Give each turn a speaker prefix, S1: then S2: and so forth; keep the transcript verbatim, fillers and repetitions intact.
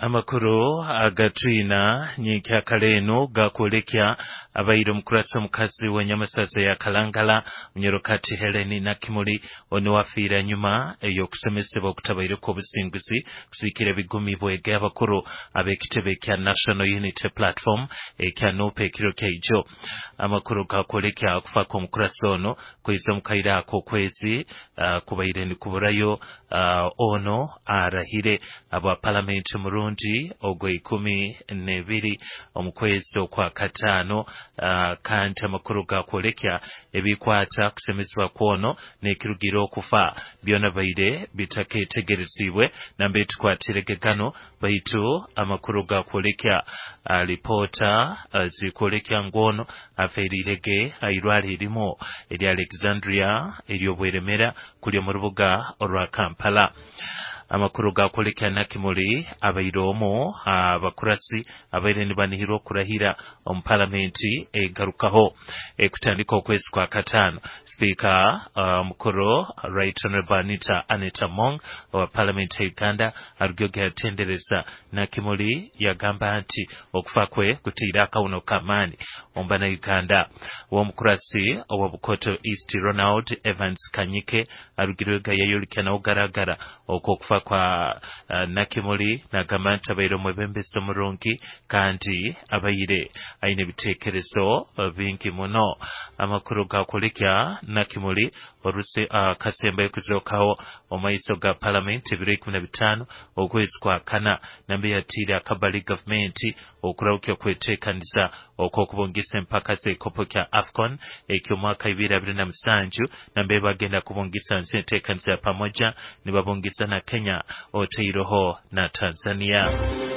S1: Amakuru agatwina nyenkyakara gakwolekya abaire omukurasi omukazi w'enyamasaza ya Kalangala Munyarokati Helen Nakimuli ono wafiira nyuma ey'okusemesebwa okutabaireko obusinguzi kusiikira ebigumi bwege abakuru ab'ekitebe kya National Unity Platform ekya N U P ekiro kyaijo. Amakuru gakwolekya okufa kw'omukurasi ono kwiza omu kaire ako okwezi uh, kubaire nikuburayo uh, ono arahire aba palamenti murundi ogwa ikumi n'ebiri omu kwezi okwa kataano. uh, kandi amakuru gakwolekya ebikwata kusemezebwa kwono n'ekirugira okufa byona baire bitaketegerezibwe nambe tukwatirege gano, baitu amakuru gakwolekya uh, lipoota uh, zikwolekya ngu ono afeirirege airwara erimu erya Alexandria ery'obweremera kuli omu rubuga orwa Kampala. Amakuru gakwolekya Nakimuli abaire omu abakurasi abaire nibanihirwa okurahira omu palamenti egarukaho ekutandika okwezi kwa kataano. Sipiika omukuru uh, Right Honorable Anita Anita Among owa palamenti ya Uganda arugyoge yatendereza Nakimuli, yagamba nti okufa kwe kutiire akawuno k'amaani omu bannayuganda. Ow'omukurasi owa Bukoto East Ronald Evans Kanyike arugirwega yayolekya nawo garagara okwokufa kwa uh, Nakimuli, nagamba nti abaire omwebembezi omurungi kandi abaire aine ebiteekerezo bingi muno. Amakuru gakwolekya Nakimuli oruse uh, kasembayo kuzookaho omu maiso ga palamenti ebiro ikumi na bitaano okwezi kwa kana, nambe yatiire akabali gavumenti okurahukya kweteekaniza okw'okubungisa empaka z'ekikopo kya AFCON eky'omwaka ibiri abiri na musanju, nambe bagenda kubungisa nsi enteekaniza ya pamoja nibabungisa na Kenya oteiroho na Tanzania.